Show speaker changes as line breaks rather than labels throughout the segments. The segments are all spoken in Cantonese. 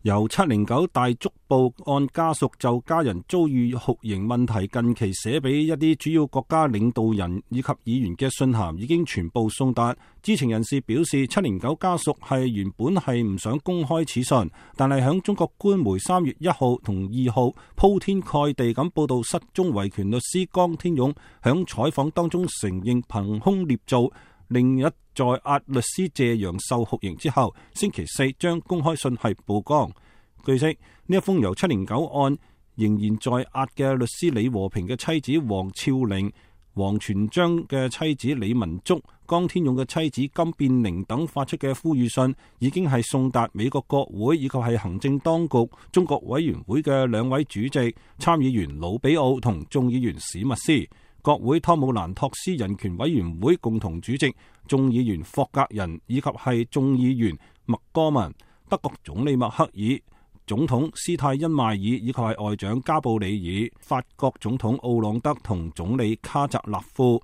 由709大捉捕案家屬就家人遭遇酷刑問題近期寫俾一啲主要國家領導人以及議員嘅信函已經全部送達。知情人士表示，709家屬原本係唔想公開此信，但係響中國官媒3月1號同2號鋪天蓋地咁報道失蹤維權律師江天勇響採訪當中承認憑空捏造另一在押律師謝陽受酷刑之後，星期4將公開信係曝光。據悉，呢一封由709案仍然在押嘅律師李和平嘅妻子黃峭玲、王全璋嘅妻子李文竹、江天勇嘅妻子金變玲等發出嘅呼籲信，已經係送達美國國會以及係行政當局中國委員會嘅2位主席、參議員魯比奧同眾議員史密斯。國會湯姆蘭托斯人權委員會共同主席、眾議員霍格人以及係眾議員麥戈文、德國總理默克爾、總統施泰因邁爾以及係外長加布里爾、法國總統奧朗德同總理卡澤勒夫。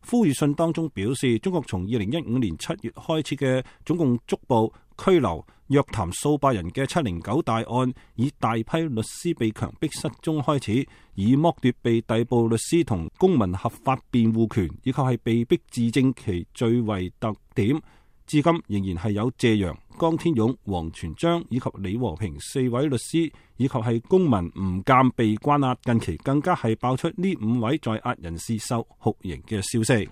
呼籲信當中表示，中國從2015年7月開始嘅總共捉捕、拘留、約談數百人嘅709大案，以大批律師被強迫失蹤開始，以剝奪被逮捕律師同公民合法辯護權，以及係被逼自證其罪為特點。至今仍然係有謝陽、江天勇、王全璋以及李和平4位律師，以及係公民吳鑑被關押。近期更加係爆出呢5位在押人士受酷刑嘅消息。